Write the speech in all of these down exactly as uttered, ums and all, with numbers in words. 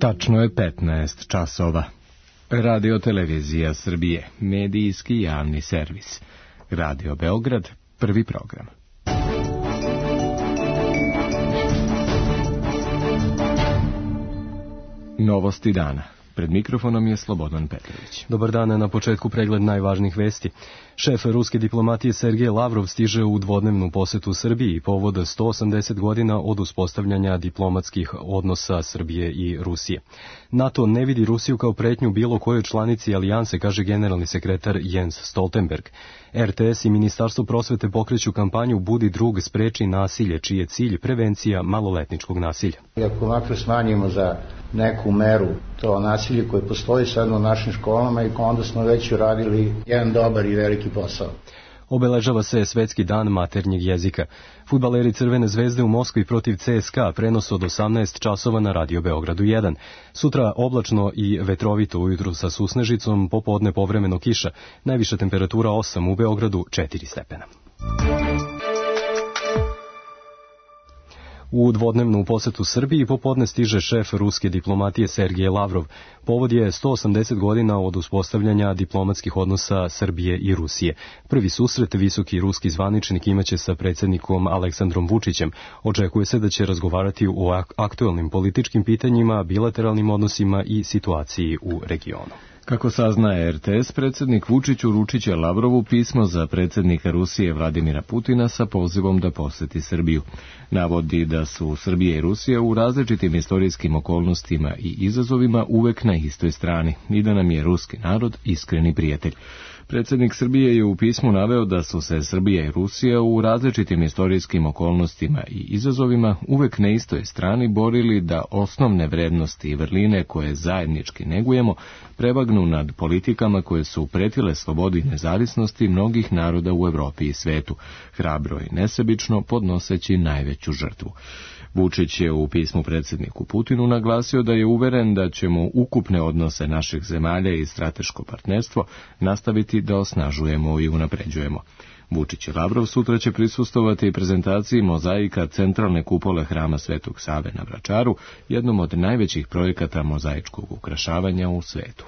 Tačno je petnaest časova. Radio Televizija Srbije, medijski javni servis. Radio Beograd, prvi program. Novosti dana. Pred mikrofonom je Slobodan Petrović. Dobar dan, na početku pregled najvažnijih vesti. Šef ruske diplomatije Sergej Lavrov stiže u dvodnevnu posetu Srbiji povod sto osamdeset godina od uspostavljanja diplomatskih odnosa Srbije i Rusije. NATO ne vidi Rusiju kao pretnju bilo kojoj članici alijanse, kaže generalni sekretar Jens Stoltenberg. R T S i Ministarstvo prosvete pokreću kampanju Budi drug, spreči nasilje, čiji je cilj prevencija maloletničkog nasilja. Ako makar smanjimo za neku meru to nasilje koje postoji sad u našim školama, i onda smo već uradili jedan dobar i veliki posao. Obeležava se Svetski dan maternjeg jezika. Fudbaleri Crvene zvezde u Moskvi protiv C S K A prenos od osamnaest časova na Radio Beogradu jedan. Sutra oblačno i vetrovito, ujutru sa susnežicom, popodne povremeno kiša. Najviša temperatura osam, u Beogradu četiri stepena. U dvodnevnu posetu Srbiji popodne stiže šef ruske diplomatije Sergej Lavrov. Povod je sto osamdeset godina od uspostavljanja diplomatskih odnosa Srbije i Rusije. Prvi susret visoki ruski zvaničnik imaće sa predsjednikom Aleksandrom Vučićem. Očekuje se da će razgovarati o aktuelnim političkim pitanjima, bilateralnim odnosima i situaciji u regionu. Kako saznaje R T S, predsjednik Vučić uručit će Lavrovu pismo za predsjednika Rusije Vladimira Putina sa pozivom da poseti Srbiju. Navodi da su Srbija i Rusija u različitim istorijskim okolnostima i izazovima uvek na istoj strani i da nam je ruski narod iskreni prijatelj. Predsjednik Srbije je u pismu naveo da su se Srbija i Rusija u različitim istorijskim okolnostima i izazovima uvek na istoj strani borili da osnovne vrednosti i vrline koje zajednički negujemo prevagnu nad politikama koje su pretile slobodi i nezavisnosti mnogih naroda u Evropi i svetu, hrabro i nesebično podnoseći najveću žrtvu. Vučić je u pismu predsjedniku Putinu naglasio da je uveren da ćemo ukupne odnose naših zemalja i strateško partnerstvo nastaviti da osnažujemo i unapređujemo. Vučić i Lavrov sutra će prisustovati prezentaciji mozaika centralne kupole Hrama Svetog Save na Vračaru, jednom od najvećih projekata mozaičkog ukrašavanja u svetu.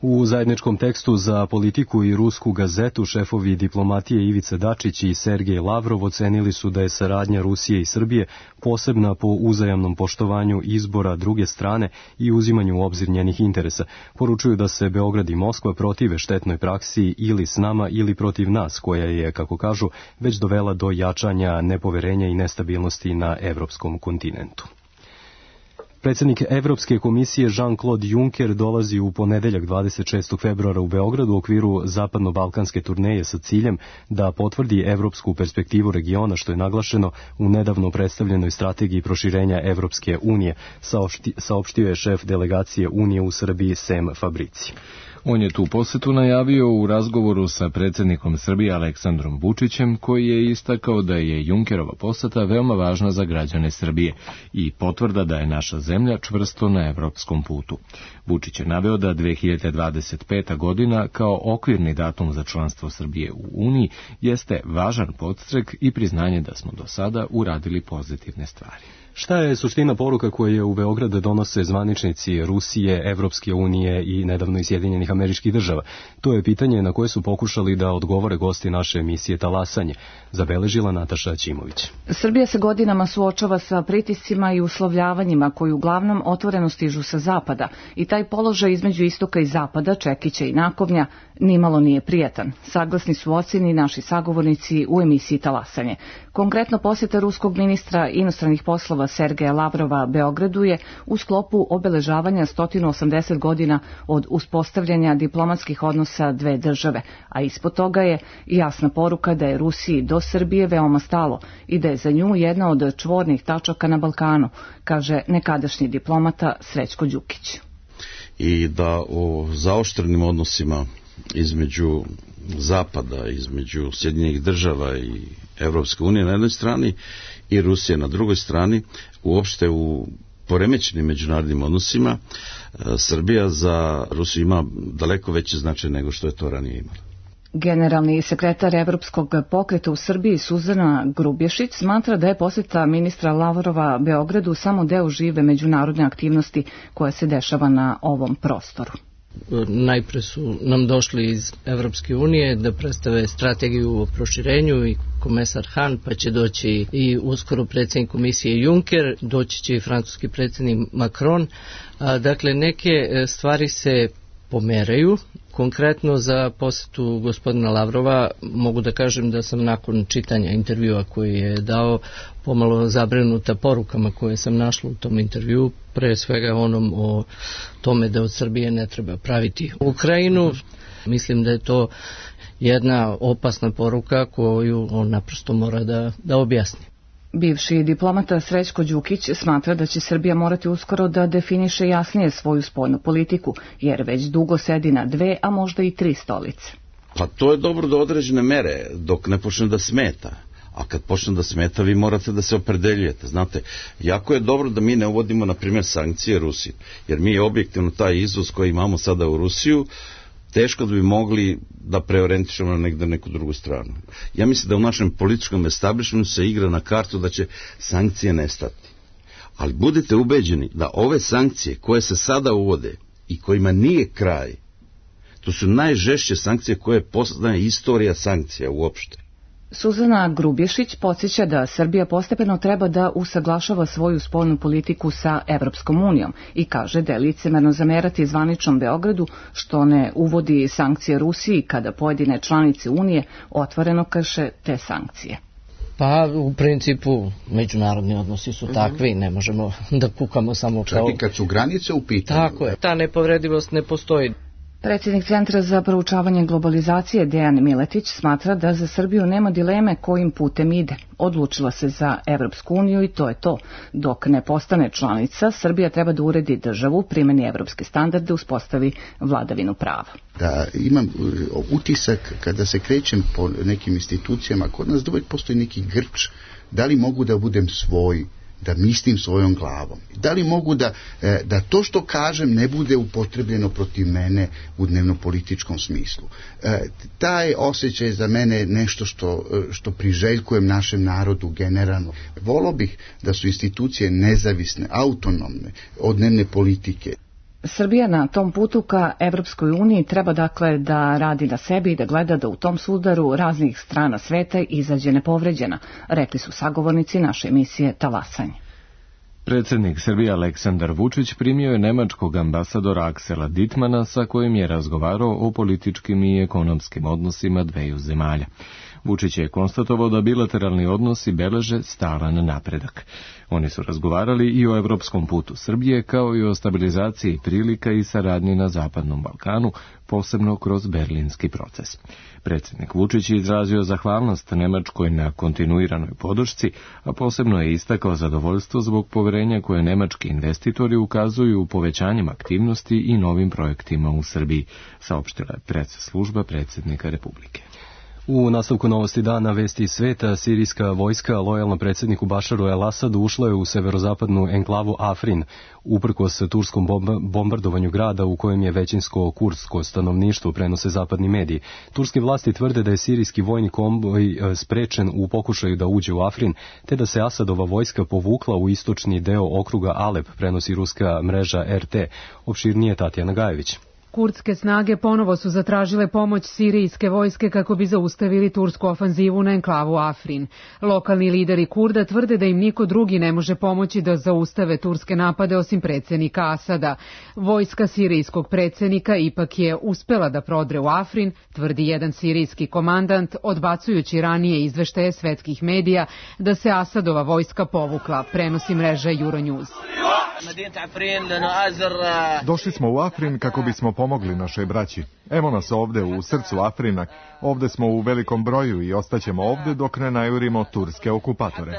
U zajedničkom tekstu za Politiku i Rusku gazetu šefovi diplomatije Ivica Dačić i Sergej Lavrov ocenili su da je saradnja Rusije i Srbije posebna po uzajamnom poštovanju izbora druge strane i uzimanju u obzir njenih interesa. Poručuju da se Beograd i Moskva protive štetnoj praksi ili s nama ili protiv nas, koja je, kako kažu, već dovela do jačanja nepoverenja i nestabilnosti na evropskom kontinentu. Predsjednik Evropske komisije Jean-Claude Juncker dolazi u ponedeljak dvadeset šestog februara u Beogradu u okviru zapadno-balkanske turneje sa ciljem da potvrdi evropsku perspektivu regiona, što je naglašeno u nedavno predstavljenoj strategiji proširenja Evropske unije, saopštio je šef delegacije Unije u Srbiji Sem Fabrici. On je tu posetu najavio u razgovoru sa predsjednikom Srbije Aleksandrom Vučićem, koji je istakao da je Junckerova poseta veoma važna za građane Srbije i potvrda da je naša zemlja čvrsto na evropskom putu. Vučić je naveo da dve hiljade dvadeset peta godina kao okvirni datum za članstvo Srbije u Uniji jeste važan podstrek i priznanje da smo do sada uradili pozitivne stvari. Šta je suština poruka koje u Beograd donose zvaničnici Rusije, Evropske unije i nedavno i Sjedinjenih Američkih Država? To je pitanje na koje su pokušali da odgovore gosti naše emisije Talasanje, zabeležila Nataša Ćimović. Srbija se godinama suočava sa pritiscima i uslovljavanjima koji uglavnom otvoreno stižu sa zapada i taj položaj između istoka i zapada, Čekića i Nakovnja, nimalo nije prijatan. Saglasni su ocjeni naši sagovornici u emisiji Talasanje. Konkretno posjeta ruskog ministra inostranih poslova Sergeja Lavrova Beogradu je u sklopu obeležavanja sto osamdeset godina od uspostavljanja diplomatskih odnosa dve države, a ispod toga je jasna poruka da je Rusiji do Srbije veoma stalo i da je za nju jedna od čvornih tačaka na Balkanu, kaže nekadašnji diplomata Srećko Đukić. I da o zaoštrenim odnosima između Zapada, između Sjedinjenih država i Evropske unije na jednoj strani i Rusije na drugoj strani, uopšte u poremećenim međunarodnim odnosima, Srbija za Rusiju ima daleko veće značaj nego što je to ranije imala. Generalni sekretar Evropskog pokreta u Srbiji Suzana Grubješić smatra da je posjeta ministra Lavrova Beogradu samo deo žive međunarodne aktivnosti koja se dešava na ovom prostoru. Najpre su nam došli iz Evropske unije da predstave strategiju o proširenju i komesar Han, pa će doći i uskoro predsjednik komisije Juncker, doći će i francuski predsjednik Macron. Dakle, neke stvari se pomeraju. Konkretno za posjetu gospodina Lavrova mogu da kažem da sam nakon čitanja intervjua koji je dao pomalo zabrinuta porukama koje sam našla u tom intervju, pre svega onom o tome da od Srbije ne treba praviti Ukrajinu. Mislim da je to jedna opasna poruka koju on naprosto mora da, da objasni. Bivši diplomata Srećko Đukić smatra da će Srbija morati uskoro da definiše jasnije svoju spoljnu politiku, jer već dugo sedi na dve, a možda i tri stolice. Pa to je dobro do određene mere, dok ne počne da smeta. A kad počne da smeta, vi morate da se opredeljujete. Znate, jako je dobro da mi ne uvodimo, na primjer, sankcije Rusiji, jer mi je objektivno taj izvoz koji imamo sada u Rusiju, teško da bi mogli da preorijentišemo na negde neku drugu stranu. Ja mislim da u našem političkom establishmentu se igra na kartu da će sankcije nestati. Ali budite ubeđeni da ove sankcije koje se sada uvode i kojima nije kraj, to su najžešće sankcije koje poznaje istorija sankcija uopšte. Suzana Grubješić podsjeća da Srbija postepeno treba da usaglašava svoju spoljnu politiku sa Evropskom unijom i kaže da je licemerno zamerati zvaničnom Beogradu što ne uvodi sankcije Rusiji kada pojedine članice Unije otvoreno krše te sankcije. Pa u principu međunarodni odnosi su takvi, ne možemo da kukamo samo kao... Čak i kad su granice u pitanju. Tako je, ta nepovredivost ne postoji. Predsjednik Centra za proučavanje globalizacije Dejan Miletić smatra da za Srbiju nema dileme kojim putem ide. Odlučila se za Evropsku uniju i to je to. Dok ne postane članica, Srbija treba da uredi državu, primeni evropske standarde, uspostavi vladavinu prava. Da imam utisak kada se krećem po nekim institucijama, kod nas uvijek postoji neki grč, da li mogu da budem svoj, da mislim svojom glavom. Da li mogu da, da to što kažem ne bude upotrebljeno protiv mene u dnevno-političkom smislu. Taj osjećaj za mene je nešto što, što priželjkujem našem narodu generalno. Volio bih da su institucije nezavisne, autonomne od dnevne politike. Srbija na tom putu ka Evropskoj uniji treba dakle da radi na sebi i da gleda da u tom sudaru raznih strana sveta izađe nepovređena, rekli su sagovornici naše emisije Talasanje. Predsjednik Srbije Aleksandar Vučić primio je nemačkog ambasadora Aksela Dittmana sa kojim je razgovarao o političkim i ekonomskim odnosima dveju zemalja. Vučić je konstatovao da bilateralni odnosi beleže stalan napredak. Oni su razgovarali i o evropskom putu Srbije, kao i o stabilizaciji prilika i saradnji na Zapadnom Balkanu, posebno kroz berlinski proces. Predsjednik Vučić je izrazio zahvalnost Nemačkoj na kontinuiranoj podršci, a posebno je istakao zadovoljstvo zbog poverenja koje nemački investitori ukazuju u povećanjem aktivnosti i novim projektima u Srbiji, saopštila je press služba predsjednika Republike. U nastavku novosti dana Vesti iz sveta, sirijska vojska lojalna predsjedniku Bašaru el-Asadu ušla je u severozapadnu enklavu Afrin, uprkos turskom bombardovanju grada u kojem je većinsko kurdsko stanovništvo, prenose zapadni mediji. Turske vlasti tvrde da je sirijski vojni konvoj sprečen u pokušaju da uđe u Afrin, te da se Asadova vojska povukla u istočni deo okruga Alep, prenosi ruska mreža er te. Opširnije Tatjana Gajević. Kurdske snage ponovo su zatražile pomoć sirijske vojske kako bi zaustavili tursku ofanzivu na enklavu Afrin. Lokalni lideri Kurda tvrde da im niko drugi ne može pomoći da zaustave turske napade osim predsjednika Asada. Vojska sirijskog predsjednika ipak je uspela da prodre u Afrin, tvrdi jedan sirijski komandant, odbacujući ranije izveštaje svetskih medija da se Asadova vojska povukla, prenosi mreža Euronews. Došli smo u Afrin kako bismo pomogli našoj braći. Evo nas ovde u srcu Afrina. Ovde smo u velikom broju i ostaćemo ovde dok ne najurimo turske okupatore.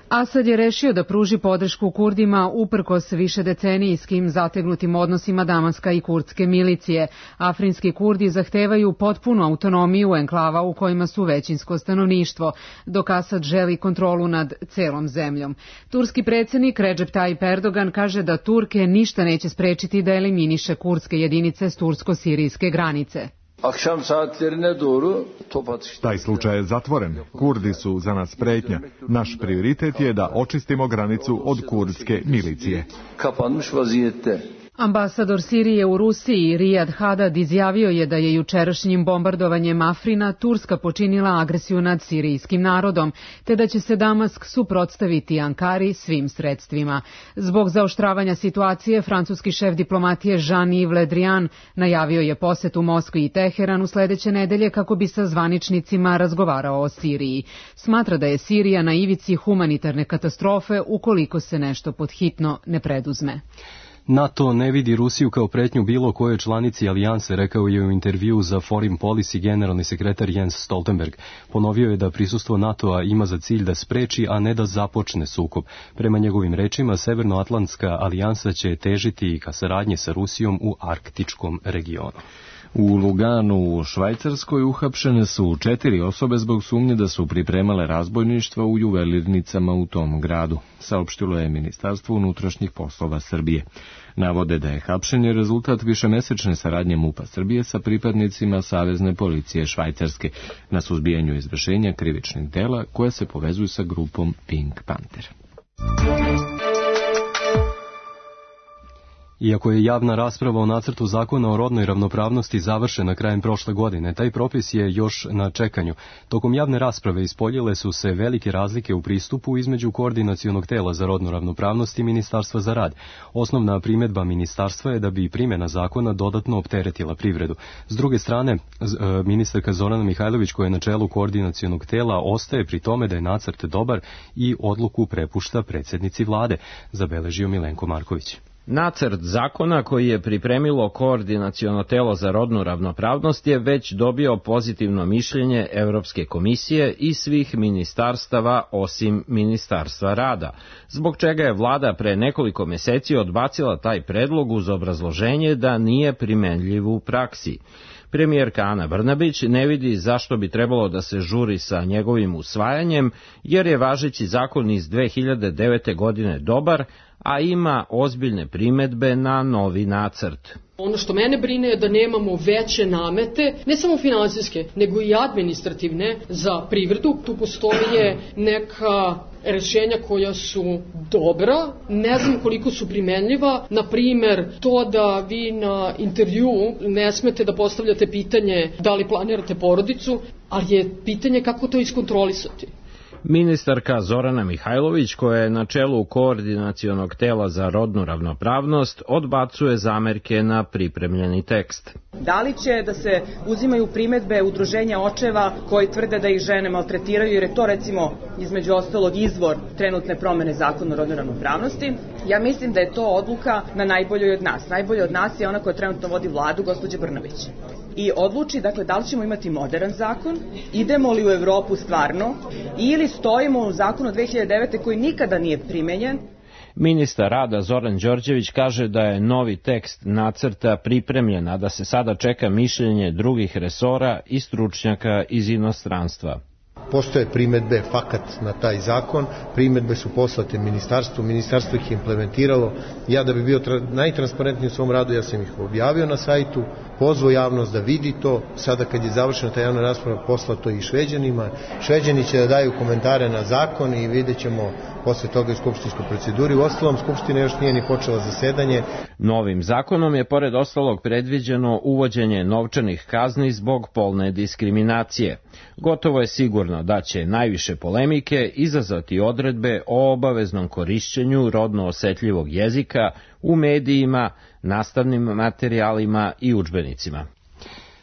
Asad je rešio da pruži podršku Kurdima uprkos višedecenijskim zategnutim odnosima Damaska i kurdske milicije. Afrinski Kurdi zahtevaju potpunu autonomiju enklava u kojima su većinsko stanovništvo, dok Asad želi kontrolu nad celom zemljom. Turski predsjednik Recep Tayyip Erdogan kaže da Turke ništa neće sprečiti da eliminiše kurdske jedinice s tursko-sirijske granice. akşam saatlerine doğru top atışları. Taj slučaj je zatvoren. Kurdi su za nas pretnja. Naš prioritet je da očistimo granicu od kurdske milicije. Kapanmış vaziyette. Ambasador Sirije u Rusiji Riyad Hadad izjavio je da je jučerašnjim bombardovanjem Afrina Turska počinila agresiju nad sirijskim narodom, te da će se Damask suprotstaviti Ankari svim sredstvima. Zbog zaoštravanja situacije, francuski šef diplomatije Jean-Yves Le Drian najavio je posetu Moskvi i Teheranu sledeće nedelje kako bi sa zvaničnicima razgovarao o Siriji. Smatra da je Sirija na ivici humanitarne katastrofe ukoliko se nešto podhitno ne preduzme. NATO ne vidi Rusiju kao pretnju bilo kojoj članici alijanse, rekao je u intervju za Foreign Policy generalni sekretar Jens Stoltenberg. Ponovio je da prisustvo NATO-a ima za cilj da spreči, a ne da započne sukob. Prema njegovim rečima, Severnoatlantska alijansa će težiti ka saradnji sa Rusijom u arktičkom regionu. U Luganu u Švajcarskoj uhapšene su četiri osobe zbog sumnje da su pripremale razbojništva u juvelirnicama u tom gradu, saopštilo je Ministarstvo unutrašnjih poslova Srbije. Navode da je hapšenje rezultat višemesečne saradnje MUP-a Srbije sa pripadnicima Savezne policije Švajcarske na suzbijanju izvršenja krivičnih dela koje se povezuju sa grupom Pink Panther. Iako je javna rasprava o nacrtu zakona o rodnoj ravnopravnosti završena krajem prošle godine, taj propis je još na čekanju. Tokom javne rasprave ispoljile su se velike razlike u pristupu između Koordinacionog tela za rodnu ravnopravnost i Ministarstva za rad. Osnovna primedba ministarstva je da bi primjena zakona dodatno opteretila privredu. S druge strane, ministarka Zorana Mihajlović, koja je na čelu Koordinacionog tela, ostaje pri tome da je nacrt dobar i odluku prepušta predsjednici vlade, zabeležio Milenko Marković. Nacrt zakona koji je pripremilo Koordinaciono telo za rodnu ravnopravnost je već dobio pozitivno mišljenje Evropske komisije i svih ministarstava osim Ministarstva rada, zbog čega je vlada pre nekoliko meseci odbacila taj predlog uz obrazloženje da nije primenljiv u praksi. Premijerka Ana Brnabić ne vidi zašto bi trebalo da se žuri sa njegovim usvajanjem, jer je važeći zakon iz dve hiljade devete. godine dobar, a ima ozbiljne primedbe na novi nacrt. Ono što mene brine je da nemamo veće namete, ne samo finansijske, nego i administrativne za privredu. Tu postoje neka rešenja koja su dobra, ne znam koliko su primenljiva. Na primer, to da vi na intervju ne smete da postavljate pitanje da li planirate porodicu, ali je pitanje kako to iskontrolisati. Ministarka Zorana Mihajlović, koja je na čelu Koordinacionog tela za rodnu ravnopravnost, odbacuje zamerke na pripremljeni tekst. Da li će da se uzimaju primedbe udruženja očeva koji tvrde da ih žene maltretiraju, jer je to recimo između ostalog izvor trenutne promene zakona o rodnoj ravnopravnosti? Ja mislim da je to odluka na najboljoj od nas. Najbolja od nas je ona koja trenutno vodi vladu, gospođa Brnabić. I odluči, dakle, da li ćemo imati modern zakon, idemo li u Evropu stvarno, ili stojimo u zakonu dve hiljade devete. koji nikada nije primenjen. Ministar rada Zoran Đorđević kaže da je novi tekst nacrta pripremljen, a da se sada čeka mišljenje drugih resora i stručnjaka iz inostranstva. Postoje primedbe fakat na taj zakon, primedbe su poslate ministarstvu, ministarstvo ih je implementiralo. Ja da bi bio najtransparentniji u svom radu, ja sam ih objavio na sajtu, pozvao javnost da vidi to. Sada kad je završena ta javna rasprava, poslato i Šveđanima. Šveđani će da daju komentare na zakon i vidjet ćemo posle toga u skupštinskoj proceduri. U ostalom, Skupština još nije ni počela zasedanje. Novim zakonom je pored ostalog predviđeno uvođenje novčanih kazni zbog polne diskriminacije. Gotovo je sigurno da će najviše polemike izazvati odredbe o obaveznom korišćenju rodno osetljivog jezika u medijima, nastavnim materijalima i udžbenicima.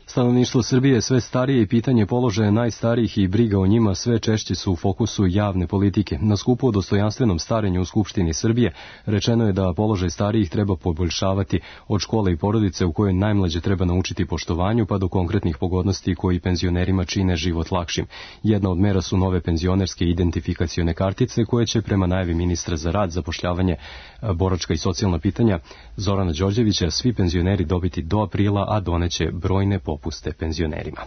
Stanovništvo Srbije je sve starije i pitanje položaja najstarijih i briga o njima sve češće su u fokusu javne politike. Na skupu o dostojanstvenom starenju u Skupštini Srbije rečeno je da položaj starijih treba poboljšavati od škole i porodice u kojoj najmlađe treba naučiti poštovanju pa do konkretnih pogodnosti koji penzionerima čine život lakšim. Jedna od mera su nove penzionerske identifikacione kartice koje će prema najavi ministra za rad, zapošljavanje, boračka i socijalna pitanja Zorana Đorđevića svi penzioneri dobiti do aprila, a doneće brojne popuste penzionerima.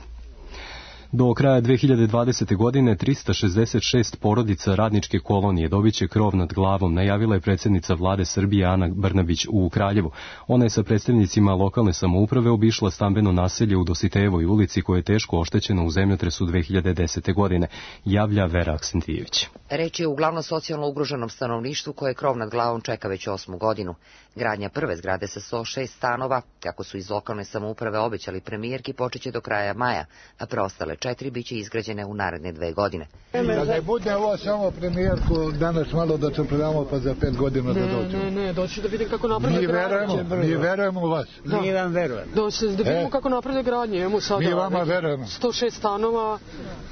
Do kraja dve hiljade dvadesete. godine trista šezdeset šest porodica radničke kolonije dobiće krov nad glavom, najavila je predsjednica vlade Srbije Ana Brnabić u Kraljevu. Ona je sa predstavnicima lokalne samouprave obišla stambeno naselje u Dositejevoj ulici koje je teško oštećeno u zemljotresu dve hiljade desete. godine, javlja Vera Aksentijević. Reč je uglavnom socijalno ugroženom stanovništvu koje krov nad glavom čeka već osmu godinu. Gradnja prve zgrade sa sto šest stanova, kako su iz lokalne samouprave obećali premijerki, počeće do kraja maja, a preostale četiri biće izgrađene u naredne dve godine. Da ne bude ovo samo premijerku, danas malo da čepredamo pa za pet godina da dođu. Ne, ne, ne, doći da vidim kako naprede mi verujemo, mi verujemo u vas. Da. Mi vam verujemo. Doći da vidimo e, kako naprede gradnje. Imamo sada mi vama verujemo. sto šest stanova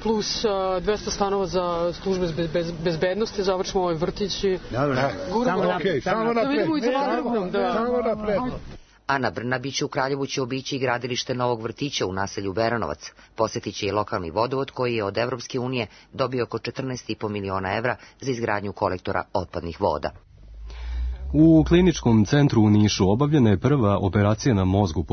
plus uh, dvesta stanova za službe bez, bez, bezbednosti, završimo ovaj vrtić i... Dobro, samo napred. Samo napred. Ana Brnabić u Kraljevu će obići i gradilište novog vrtića u naselju Beranovac. Posjetit će i lokalni vodovod koji je od Evropske unije dobio oko četrnaest i po miliona evra za izgradnju kolektora otpadnih voda. U kliničkom centru u Nišu obavljena je prva operacija na mozgu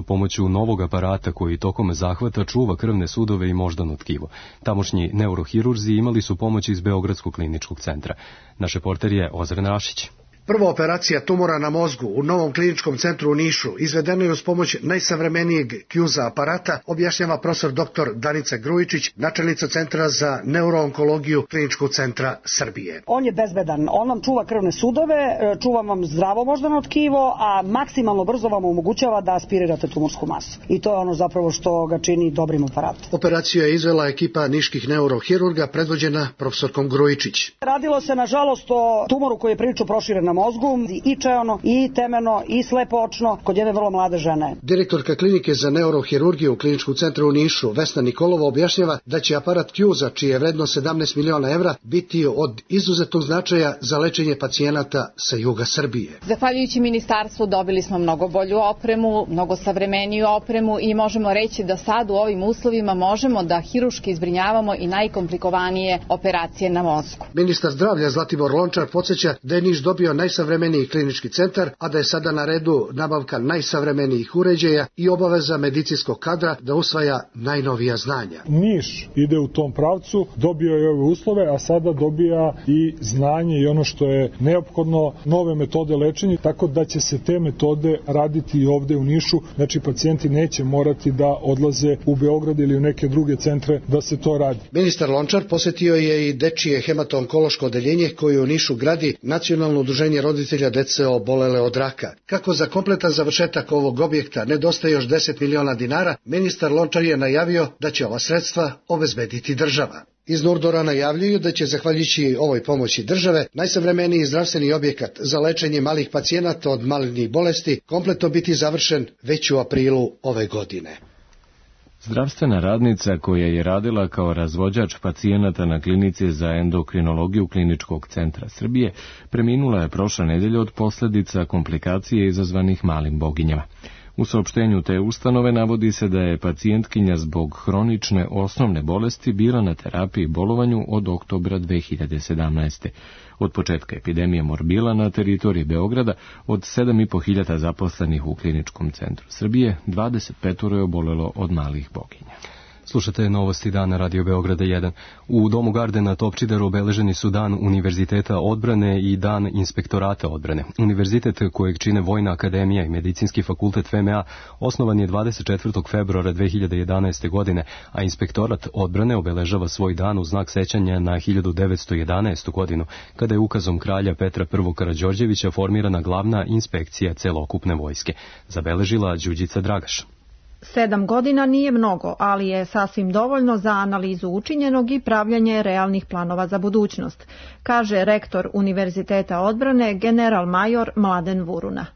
pomoću novog aparata koji tokom zahvata čuva krvne sudove i moždano tkivo. Tamošnji neurohirurzi imali su pomoć iz Beogradskog kliničkog centra. Naš reporter je Ozren Rašić. Prva operacija tumora na mozgu u novom kliničkom centru u Nišu izvedena je uz pomoć najsavremenijeg Kjuza aparata, objašnjava profesor doktor Danica Grujičić, načelnica Centra za neuroonkologiju Kliničkog centra Srbije. On je bezbedan, on vam čuva krvne sudove, čuva vam zdravo moždano tkivo, a maksimalno brzo vam omogućava da aspirirate tumorsku masu. I to je ono zapravo što ga čini dobrim aparatom. Operaciju je izvela ekipa niških neurohirurga predvođena profesorkom Grujičić. Radilo se nažalost o tumoru koji je prilično proširen na mozgu, i čeono, i temeno, i slepo-očno, kod jedne vrlo mlade žene. Direktorka klinike za neurohirurgiju u Kliničkom centru u Nišu, Vesna Nikolova, objašnjava da će aparat Kjuza, čiji je vredno sedamnaest miliona evra, biti od izuzetnog značaja za lečenje pacijenata sa juga Srbije. Zahvaljujući ministarstvu dobili smo mnogo bolju opremu, mnogo savremeniju opremu i možemo reći da sad u ovim uslovima možemo da hiruški zbrinjavamo i najkomplikovanije operacije na mozgu. Ministar zdravlja Zlatibor Lončar podsjeća da je Niš dobio najsavremeniji klinički centar, a da je sada na redu nabavka najsavremenijih uređaja i obaveza medicinskog kadra da usvaja najnovija znanja. Niš ide u tom pravcu, dobio je ove uslove, a sada dobija i znanje i ono što je neophodno, nove metode lečenja, tako da će se te metode raditi i ovde u Nišu, znači pacijenti neće morati da odlaze u Beograd ili u neke druge centre da se to radi. Ministar Lončar posjetio je i dečije hemato-onkološko odeljenje koje u Nišu gradi Nacionalno udruženje roditelja dece obolele od raka. Kako za kompletan završetak ovog objekta nedostaje još deset miliona dinara, ministar Lončar je najavio da će ova sredstva obezbediti država. Iz Nurdora najavljuju da će, zahvaljujući ovoj pomoći države, najsavremeniji zdravstveni objekat za lečenje malih pacijenata od malignih bolesti kompletno biti završen već u aprilu ove godine. Zdravstvena radnica koja je radila kao razvođač pacijenata na klinici za endokrinologiju Kliničkog centra Srbije preminula je prošle nedelje od posljedica komplikacije izazvanih malim boginjama. U saopštenju te ustanove navodi se da je pacijentkinja zbog hronične osnovne bolesti bila na terapiji i bolovanju od oktobra dve hiljade sedamnaeste. Od početka epidemije morbila na teritoriji Beograda od sedam i po hiljada zaposlenih u Kliničkom centru Srbije, dvadeset pet je obolelo od malih boginja. Slušate novosti dana Radio Beograda jedan. U Domu Garde na Topčideru obeleženi su Dan Univerziteta odbrane i Dan Inspektorata odbrane. Univerzitet kojeg čine Vojna akademija i Medicinski fakultet F M A osnovan je dvadeset četvrtog februara dve hiljade jedanaeste. godine, a Inspektorat odbrane obeležava svoj dan u znak sećanja na hiljadu devetsto jedanaestu. godinu, kada je ukazom kralja Petra I. Karađorđevića formirana glavna inspekcija celokupne vojske. Zabeležila Đuđica Dragaš. Sedam godina nije mnogo, ali je sasvim dovoljno za analizu učinjenog i pravljanje realnih planova za budućnost, kaže rektor Univerziteta odbrane general major Mladen Vuruna.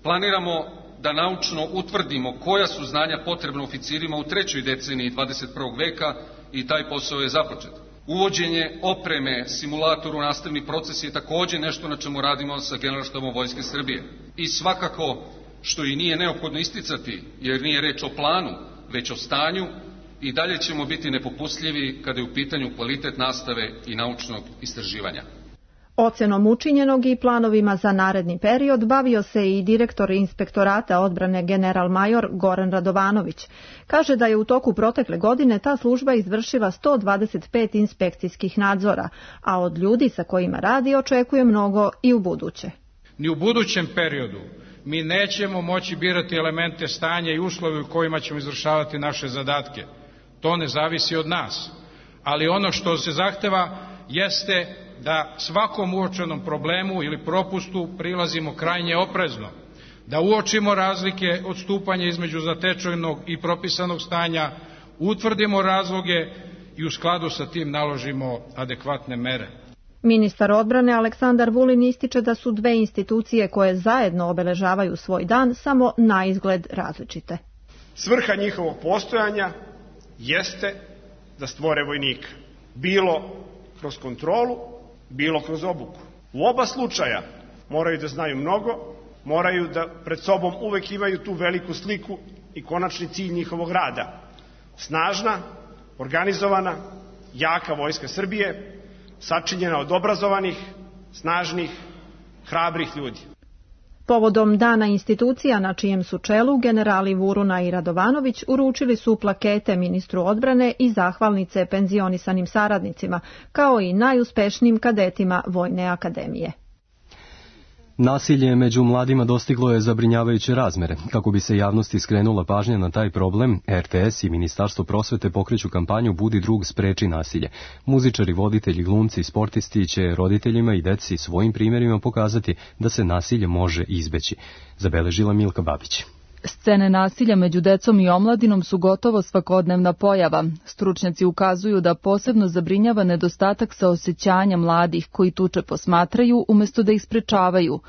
Planiramo da naučno utvrdimo koja su znanja potrebna oficirima u trećoj deceniji dvadeset prvog veka i taj posao je započet. Uvođenje opreme, simulatoru, nastavni proces je također nešto na čemu radimo sa Generalštabom Vojske Srbije. I svakako, što i nije neophodno isticati, jer nije reč o planu, već o stanju, i dalje ćemo biti nepopustljivi kada je u pitanju kvalitet nastave i naučnog istraživanja. Ocenom učinjenog i planovima za naredni period bavio se i direktor Inspektorata odbrane general major Goran Radovanović. Kaže da je u toku protekle godine ta služba izvršila sto dvadeset pet inspekcijskih nadzora, a od ljudi sa kojima radi očekuje mnogo i u buduće. Ni u budućem periodu mi nećemo moći birati elemente stanja i uslove u kojima ćemo izvršavati naše zadatke. To ne zavisi od nas. Ali ono što se zahteva jeste da svakom uočenom problemu ili propustu prilazimo krajnje oprezno, da uočimo razlike odstupanja između zatečenog i propisanog stanja, utvrdimo razloge i u skladu sa tim naložimo adekvatne mere. Ministar odbrane Aleksandar Vulin ističe da su dve institucije koje zajedno obeležavaju svoj dan samo na izgled različite. Svrha njihovog postojanja jeste da stvore vojnika, bilo kroz kontrolu, bilo kroz obuku. U oba slučaja moraju da znaju mnogo, moraju da pred sobom uvek imaju tu veliku sliku i konačni cilj njihovog rada. Snažna, organizovana, jaka vojska Srbije, sačinjena od obrazovanih, snažnih, hrabrih ljudi. Povodom dana institucija na čijem su čelu generali Vuruna i Radovanović uručili su plakete ministru odbrane i zahvalnice penzionisanim saradnicima, kao i najuspešnijim kadetima Vojne akademije. Nasilje među mladima dostiglo je zabrinjavajuće razmere. Kako bi se javnosti skrenula pažnja na taj problem, er te es i Ministarstvo prosvete pokreću kampanju Budi drug, spreči nasilje. Muzičari, voditelji, glumci i sportisti će roditeljima i deci svojim primjerima pokazati da se nasilje može izbeći. Zabeležila Milka Babić. Scene nasilja među decom i omladinom su gotovo svakodnevna pojava. Stručnjaci ukazuju da posebno zabrinjava nedostatak saosećanja mladih koji tuče posmatraju umjesto da ih sprečavaju.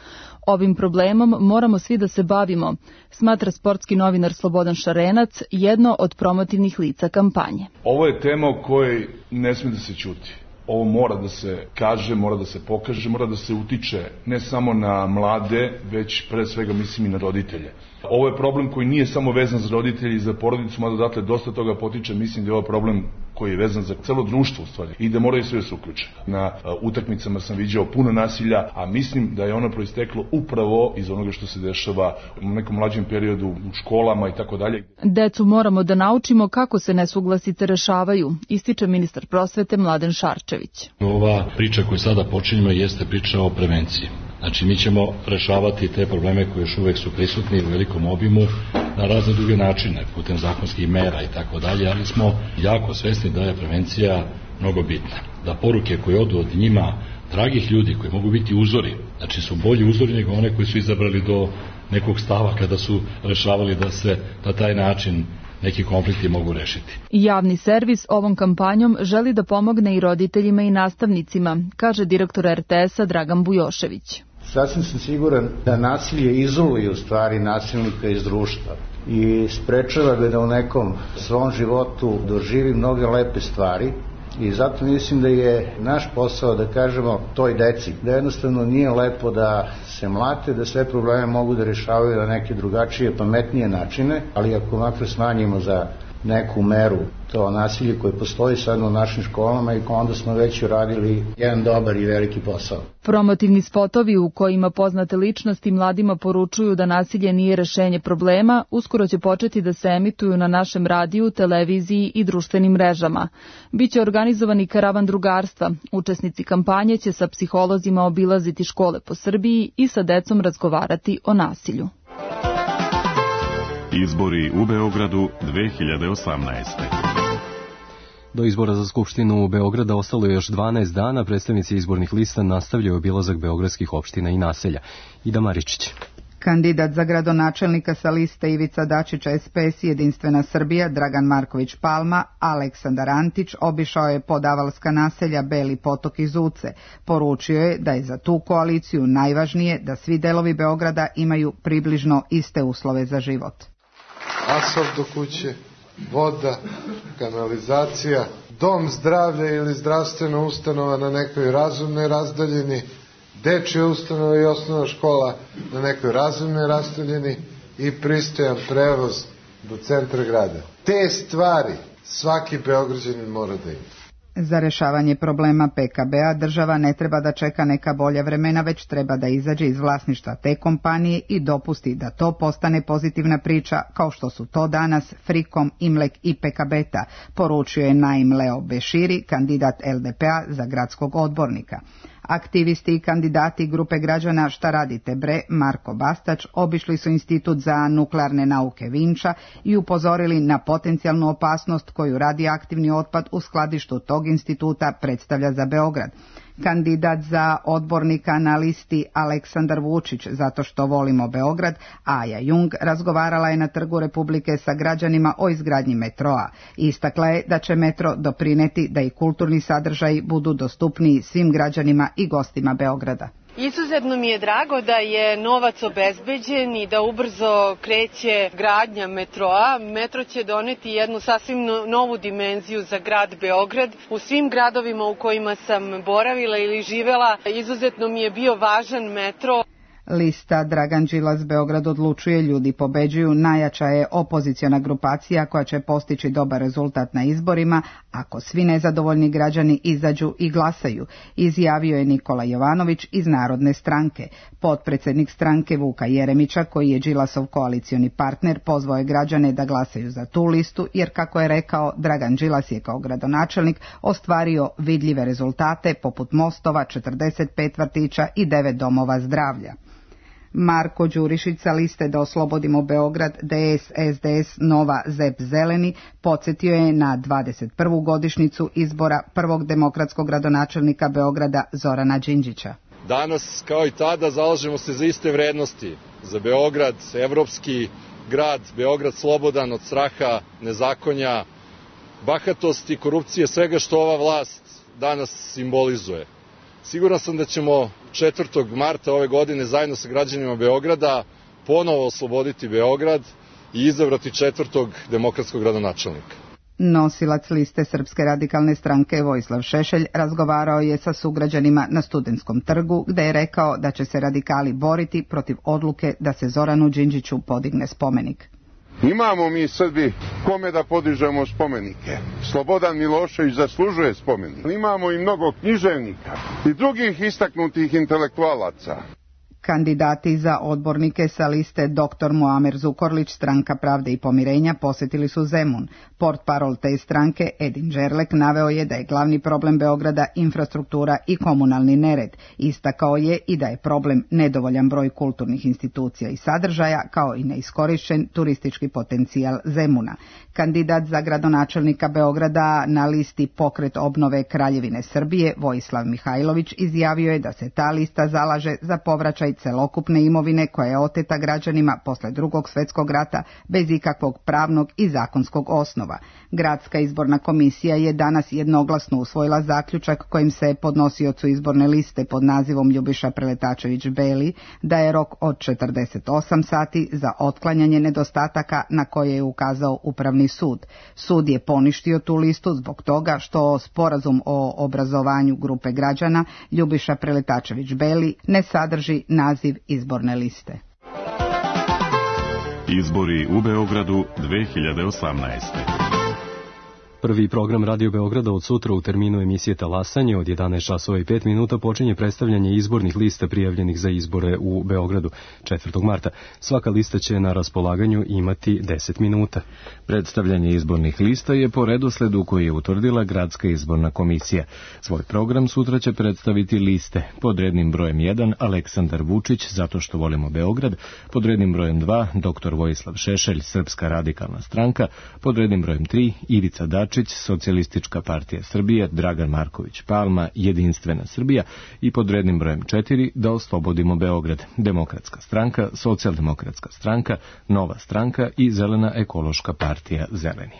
Ovim problemom moramo svi da se bavimo, smatra sportski novinar Slobodan Šarenac, jedno od promotivnih lica kampanje. Ovo je tema o kojoj ne smije da se ćuti. Ovo mora da se kaže, mora da se pokaže, mora da se utiče ne samo na mlade, već pre svega mislim i na roditelje. Ovo je problem koji nije samo vezan za roditelje i za porodicu, mada odatle dosta toga potiče, mislim da je ovo problem koji je vezan za celo društvo u stvari i da moraju sve se uključiti. Na utakmicama sam viđao puno nasilja, a mislim da je ono proisteklo upravo iz onoga što se dešava u nekom mlađem periodu u školama i tako dalje. Decu moramo da naučimo kako se nesuglasice rešavaju, ističe ministar prosvete Mladen Šarčević. Ova priča koju sada počinjemo jeste priča o prevenciji. Znači mi ćemo rešavati te probleme koji još uvek su prisutni u velikom obimu na razne druge načine, putem zakonskih mera i tako dalje, ali smo jako svesni da je prevencija mnogo bitna. Da poruke koje odu od njima dragih ljudi koji mogu biti uzori, znači su bolji uzori nego one koji su izabrali do nekog stava kada su rešavali da se na taj način neki konflikti mogu rešiti. Javni servis ovom kampanjom želi da pomogne i roditeljima i nastavnicima, kaže direktor er te es-a Dragan Bujošević. Sasvim sam siguran da nasilje izoluje u stvari nasilnika iz društva i sprečava ga da u nekom svom životu doživi mnoge lepe stvari. I zato mislim da je naš posao da kažemo toj deci da jednostavno nije lepo da se mlate, da sve probleme mogu da rešavaju na neke drugačije, pametnije načine, ali ako makar smanjimo za neku meru to nasilje koje postoji sad u našim školama i onda smo već uradili jedan dobar i veliki posao. Promotivni spotovi u kojima poznate ličnosti mladima poručuju da nasilje nije rešenje problema, uskoro će početi da se emituju na našem radiju, televiziji i društvenim mrežama. Biće organizovani karavan drugarstva. Učesnici kampanje će sa psiholozima obilaziti škole po Srbiji i sa decom razgovarati o nasilju. Izbori u Beogradu dve hiljade osamnaeste. Do izbora za Skupštinu u Beograda ostalo je još dvanaest dana. Predstavnici izbornih lista nastavljaju obilazak beogradskih opština i naselja. Ida Maričić. Kandidat za gradonačelnika sa liste Ivica Dačić es pe es Jedinstvena Srbija Dragan Marković Palma, Aleksandar Antić, obišao je podavalska naselja Beli Potok i Zuce. Poručio je da je za tu koaliciju najvažnije da svi delovi Beograda imaju približno iste uslove za život. Asfalt do kuće, voda, kanalizacija, dom zdravlja ili zdravstvena ustanova na nekoj razumnoj razdaljini, dečja ustanova i osnovna škola na nekoj razumnoj razdaljini i pristojan prevoz do centra grada. Te stvari svaki Beograđanin mora da ima. Za rešavanje problema P K B-a država ne treba da čeka neka bolja vremena, već treba da izađe iz vlasništva te kompanije i dopusti da to postane pozitivna priča, kao što su to danas Frikom, Imlek i Pekabeta, poručio je Naim Leo Beširi, kandidat L D P-a za gradskog odbornika. Aktivisti i kandidati grupe građana Šta radite bre, Marko Bastać, obišli su Institut za nuklearne nauke Vinča i upozorili na potencijalnu opasnost koju radioaktivni otpad u skladištu tog instituta predstavlja za Beograd. Kandidat za odbornika na listi Aleksandar Vučić, zato što volimo Beograd, Aja Jung, razgovarala je na Trgu Republike sa građanima o izgradnji metroa. Istakla je da će metro doprineti da i kulturni sadržaji budu dostupniji svim građanima i gostima Beograda. Izuzetno mi je drago da je novac obezbeđen i da ubrzo kreće gradnja metroa. Metro će doneti jednu sasvim novu dimenziju za grad Beograd. U svim gradovima u kojima sam boravila ili živela, izuzetno mi je bio važan metro. Lista Dragan Đilas Beograd odlučuje, ljudi pobeđuju najjača je opoziciona grupacija koja će postići dobar rezultat na izborima ako svi nezadovoljni građani izađu i glasaju, izjavio je Nikola Jovanović iz Narodne stranke. Potpredsednik stranke Vuka Jeremića, koji je Đilasov koalicioni partner, pozvao je građane da glasaju za tu listu, jer kako je rekao, Dragan Đilas je kao gradonačelnik ostvario vidljive rezultate poput mostova, četrdeset pet vrtića i devet domova zdravlja. Marko Đurišić sa liste Da oslobodimo Beograd, D S S D S Nova Zep Zeleni, podsjetio je na dvadeset prvu godišnjicu izbora prvog demokratskog gradonačelnika Beograda Zorana Đinđića. Danas, kao i tada, zalažemo se za iste vrednosti, za Beograd, evropski grad, Beograd slobodan od straha, nezakonja, bahatosti, korupcije, svega što ova vlast danas simbolizuje. Siguran sam da ćemo četvrtog marta ove godine zajedno sa građanima Beograda ponovo osloboditi Beograd i izabrati četvrtog demokratskog gradonačelnika. Nosilac liste Srpske radikalne stranke Vojislav Šešelj razgovarao je sa sugrađanima na Studentskom trgu, gde je rekao da će se radikali boriti protiv odluke da se Zoranu Đinđiću podigne spomenik. Imamo mi Srbi kome da podižemo spomenike. Slobodan Milošević zaslužuje spomenik. Imamo i mnogo književnika i drugih istaknutih intelektualaca. Kandidati za odbornike sa liste doktor Muamer Zukorlić, Stranka pravde i pomirenja, posetili su Zemun. Portparol te stranke Edin Đerlek naveo je da je glavni problem Beograda infrastruktura i komunalni nered. Istakao je i da je problem nedovoljan broj kulturnih institucija i sadržaja, kao i neiskorišćen turistički potencijal Zemuna. Kandidat za gradonačelnika Beograda na listi Pokret obnove Kraljevine Srbije, Vojislav Mihajlović, izjavio je da se ta lista zalaže za povraćaj celokupne imovine koja je oteta građanima posle Drugog svjetskog rata bez ikakvog pravnog i zakonskog osnova. Gradska izborna komisija je danas jednoglasno usvojila zaključak kojim se podnosiocu izborne liste pod nazivom Ljubiša Preletačević Beli daje rok od četrdeset osam sati za otklanjanje nedostataka na koje je ukazao Upravni sud. Sud je poništio tu listu zbog toga što sporazum o obrazovanju grupe građana Ljubiša Preletačević Beli ne sadrži naziv izborne liste. Izbori u Beogradu dve hiljade osamnaeste. Prvi program Radio Beograda od sutra u terminu emisije Talasanje od jedanaest časova i pet minuta počinje predstavljanje izbornih lista prijavljenih za izbore u Beogradu četvrtog marta. Svaka lista će na raspolaganju imati deset minuta. Predstavljanje izbornih lista je po redosledu koji je utvrdila Gradska izborna komisija. Svoj program sutra će predstaviti liste. Pod rednim brojem jedan Aleksandar Vučić, zato što volimo Beograd, pod rednim brojem dva doktor Vojislav Šešelj, Srpska radikalna stranka, pod rednim brojem tri Ivica Dačić, Socijalistička partija Srbije, Dragan Marković Palma, Jedinstvena Srbija i pod rednim brojem četiri Da oslobodimo Beograd, Demokratska stranka, Socijaldemokratska stranka, Nova stranka i Zelena ekološka partija Zeleni.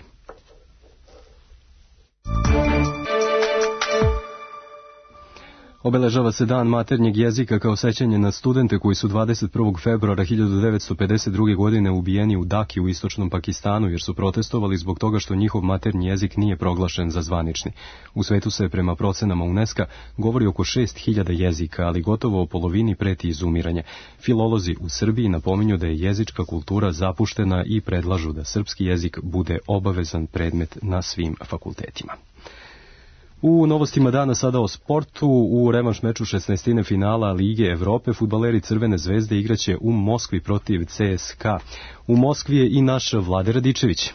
Obeležava se Dan maternjeg jezika kao sećanje na studente koji su dvadeset prvog februara hiljadu devetsto pedeset druge. godine ubijeni u Daki u istočnom Pakistanu jer su protestovali zbog toga što njihov maternji jezik nije proglašen za zvanični. U svetu se prema procenama UNESCO govori oko šest hiljada jezika, ali gotovo o polovini preti izumiranje. Filolozi u Srbiji napominju da je jezička kultura zapuštena i predlažu da srpski jezik bude obavezan predmet na svim fakultetima. U novostima dana sada o sportu, u revanš meču šesnaestine finala Lige Evrope fudbaleri Crvene zvezde igraće u Moskvi protiv C S K A. U Moskvi je i naš Vlade Radičević.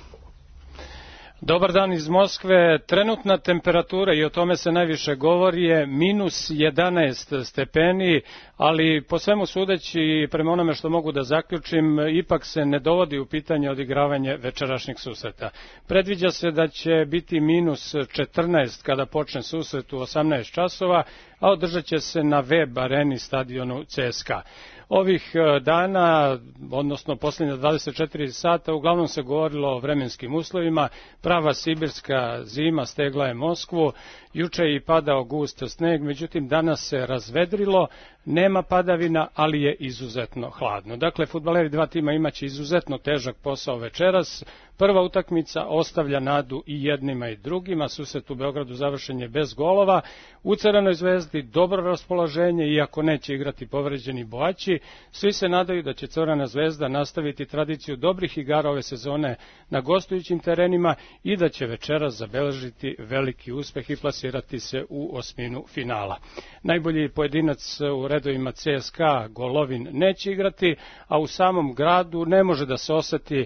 Dobar dan iz Moskve. Trenutna temperatura, i o tome se najviše govori, je minus jedanaest stepeni, ali po svemu sudeći, prema onome što mogu da zaključim, ipak se ne dovodi u pitanje odigravanje večerašnjeg susreta. Predviđa se da će biti minus četrnaest kada počne susret u osamnaest časova, a održat će se na web areni stadionu C S K A. Ovih dana, odnosno posljednja dvadeset četiri sata, uglavnom se govorilo o vremenskim uslovima. Prava sibirska zima stegla je Moskvu, juče je i padao gust sneg, međutim danas se razvedrilo, nema padavina, ali je izuzetno hladno. Dakle, fudbaleri dva tima imaće izuzetno težak posao večeras. Prva utakmica ostavlja nadu i jednima i drugima, susret u Beogradu završen je bez golova. U Crvenoj zvezdi dobro raspoloženje, iako neće igrati povređeni Boaći. Svi se nadaju da će Crvena zvezda nastaviti tradiciju dobrih igara ove sezone na gostujućim terenima i da će večeras zabeležiti veliki uspeh i plasirati se u osminu finala. Najbolji pojedinac u redovima C S K A, Golovin, neće igrati, a u samom gradu ne može da se oseti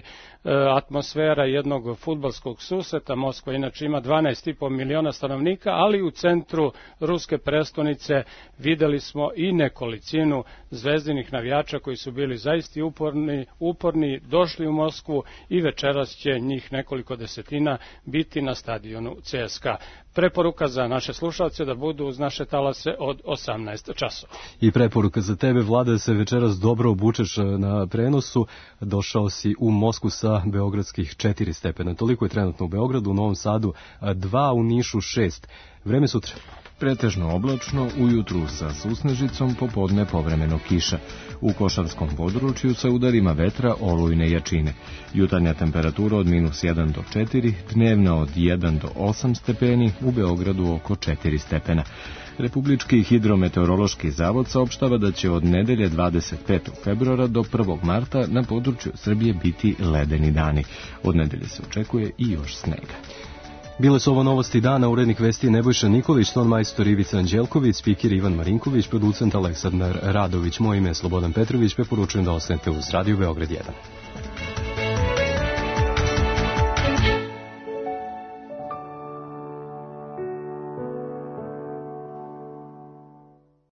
atmosfera jednog fudbalskog susreta. Moskva inače ima dvanaest i po miliona stanovnika, ali u centru ruske prestonice videli smo i nekolicinu zvezdinih navijača koji su bili zaista uporni, uporni, došli u Moskvu i večeras će njih nekoliko desetina biti na stadionu C S K A. Preporuka za naše slušalce da budu uz naše talase od osamnaest časova. I preporuka za tebe, Vlada, da se večeras dobro obučeš na prenosu. Došao si u Moskvu sa beogradskih četiri stepena. Toliko je trenutno u Beogradu, u Novom Sadu dva, u Nišu šest. Vreme sutra. Pretežno oblačno, ujutru sa susnežicom, popodne povremeno kiša. U Košarskom području sa udarima vetra olujne jačine. Jutarnja temperatura od minus jedan do četiri, dnevna od jedan do osam stepeni, u Beogradu oko četiri stepena. Republički hidrometeorološki zavod saopštava da će od nedelje dvadeset petog februara do prvog marta na području Srbije biti ledeni dani. Od nedelje se očekuje i još snega. Bile su ovo novosti dana, urednik vesti Nebojša Nikolić, ton majstor Ivica Anđelković, spiker Ivan Marinković, producent Aleksandar Radović. Moje ime je Slobodan Petrović, preporučujem da ostanete uz Radio Beograd jedan.